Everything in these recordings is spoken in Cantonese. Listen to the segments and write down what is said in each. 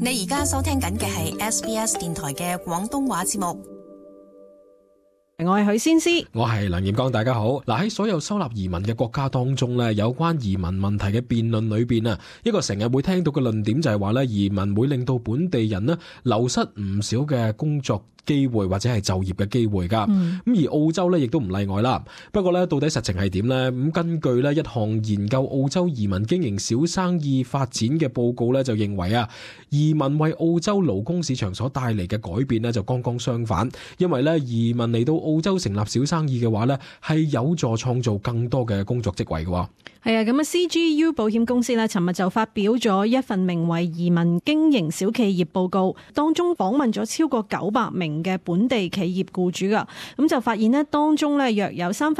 你而家收聽緊嘅係 SBS 電台嘅廣東話節目。我係許仙師，我係梁艷剛，大家好。嗱，喺所有收納移民嘅國家當中咧，有關移民問題嘅辯論裏邊啊，一個成日會聽到嘅論點就係話咧，移民會令到本地人咧流失唔少嘅工作機會或者係就業嘅機會㗎。而澳洲咧亦都唔例外啦。不過咧，到底實情係點呢？咁根據咧一項研究澳洲移民經營小生意發展嘅報告咧，就認為啊，移民為澳洲勞工市場所帶嚟嘅改變呢，就剛剛相反。因為咧，移民嚟到澳洲成立小生意嘅話呢，係有助創造更多嘅工作職位嘅。係啊，咁啊 CGU 保險公司呢，尋日就發表咗一份名為《移民經營小企業報告》，當中訪問咗超過900名嘅本地企業僱主噶，咁就發現呢，當中呢約有1/3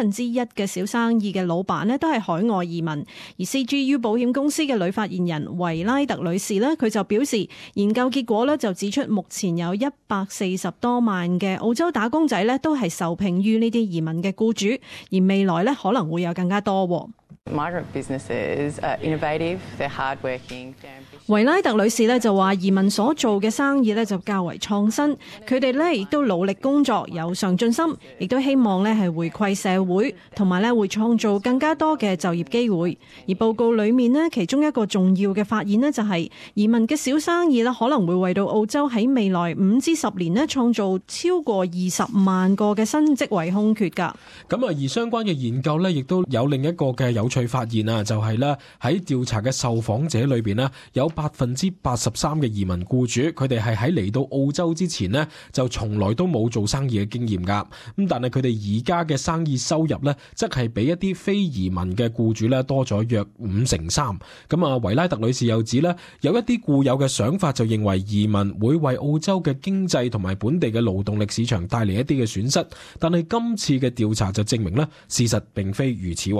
嘅小生意嘅老闆呢都係海外移民。而 CGU 保險公司嘅女發言人維拉特女士呢，佢就表示，研究結果呢就指出，目前有140多萬嘅澳洲打工仔呢都係受聘於呢啲移民嘅僱主，而未來呢可能會有更加多。Migrant businesses are innovative, they're hardworking. 維拉特女士呢就話，移民所做嘅生意呢就較為創新，佢哋呢亦都努力工作，有上進心，亦都希望呢係回饋社會，同埋呢會創造更加多嘅就業機會。而報告裏面呢，其中一個重要嘅發現呢，就係移民嘅小生意呢可能會為到澳洲喺未來5至10年呢創造超過20萬個嘅新職位空缺㗎。咁啊，而相關嘅研究呢，亦都有另一個嘅有趣發現啊，就係咧喺調查嘅受訪者裏邊呢，有83%嘅移民僱主，佢哋係喺嚟到澳洲之前呢，就從來都冇做生意嘅經驗噶。咁但係佢哋而家嘅生意收入呢，則係比一啲非移民嘅僱主呢多咗約53%。咁啊，維拉特女士又指呢，有一啲固有嘅想法就認為移民會為澳洲嘅經濟同埋本地嘅勞動力市場帶嚟一啲嘅損失，但係今次嘅調查就證明呢，事實並非如此。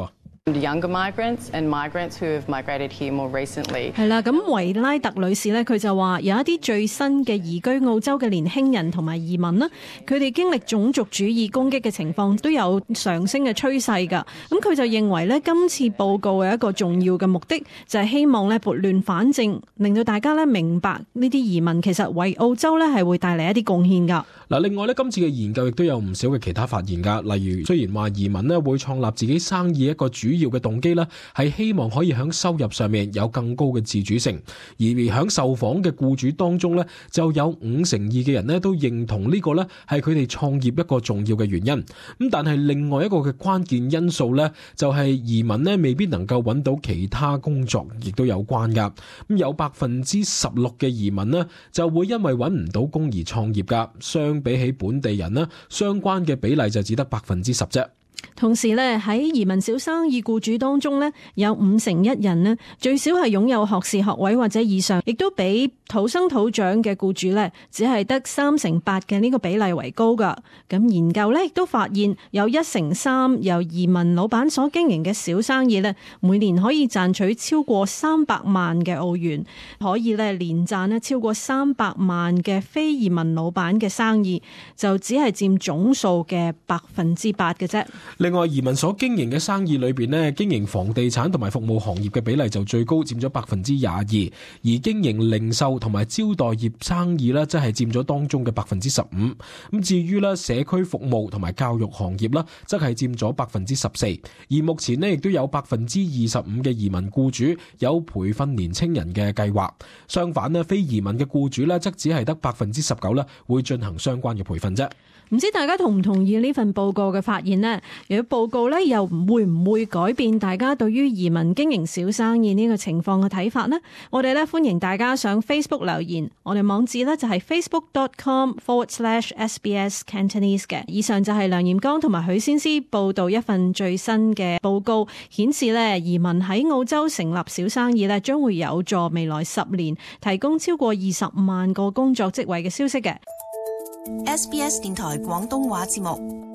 Younger migrants and migrants who have migrated here more recently. 係啦，咁維拉特女士呢，佢就話有一啲最新嘅移居澳洲嘅年輕人同埋移民啦，佢哋經歷種族主義攻擊嘅情況都有上升嘅趨勢㗎。咁佢就認為呢，今次報告嘅一個重要嘅目的就係希望呢撥亂反正，令到大家呢明白呢啲移民其實為澳洲呢係會帶嚟一啲貢獻㗎。嗱，另外呢，今次嘅研究亦都有唔少嘅其他發現㗎，例如雖然話移民呢會創立自己生意一個主要嘅動機呢係希望可以喺收入上面有更高嘅自主性，而喺受訪嘅僱主當中呢，就有52%嘅人呢都認同呢個呢係佢哋創業一個重要嘅原因。咁但係另外一個嘅關鍵因素呢，就係移民呢未必能夠揾到其他工作，亦都有關㗎。咁有16%嘅移民呢就會因為揾唔到工而創業㗎，相比起本地人呢，相關嘅比例就只得10%啫。同時咧，喺移民小生意僱主當中呢，有51%人呢最少係擁有學士學位或者以上，亦都比土生土長嘅僱主呢只係得3%嘅呢個比例為高噶。咁研究呢亦都發現，有1/3由移民老闆所經營嘅小生意呢，每年可以賺取超過300萬嘅澳元，可以呢年賺呢超過300萬嘅非移民老闆嘅生意，就只係佔總數嘅8%嘅啫。另外，移民所經營嘅生意裏邊呢，經營房地產同埋服務行業嘅比例就最高，佔咗22%，而經營零售同埋招待業生意呢，即係佔咗當中嘅15%。咁至於呢社區服務同埋教育行業啦，則係佔咗14%。而目前呢，亦都有25%嘅移民僱主有培訓年青人嘅計劃。相反呢，非移民嘅僱主呢，則只係得19%啦，會進行相關嘅培訓啫。唔知大家同唔同意呢份報告嘅發現呢？如果報告呢又會唔會改變大家對於移民經營小生意呢個情況嘅睇法呢？我哋呢歡迎大家上 Facebook 留言，我哋網址呢就係 facebook.com/SBS Cantonese 嘅。以上就係梁艷剛同埋許先思報道一份最新嘅報告，顯示呢移民喺澳洲成立小生意呢將會有助未來10年提供超過20萬個工作職位嘅消息嘅。SBS 電台廣東話節目。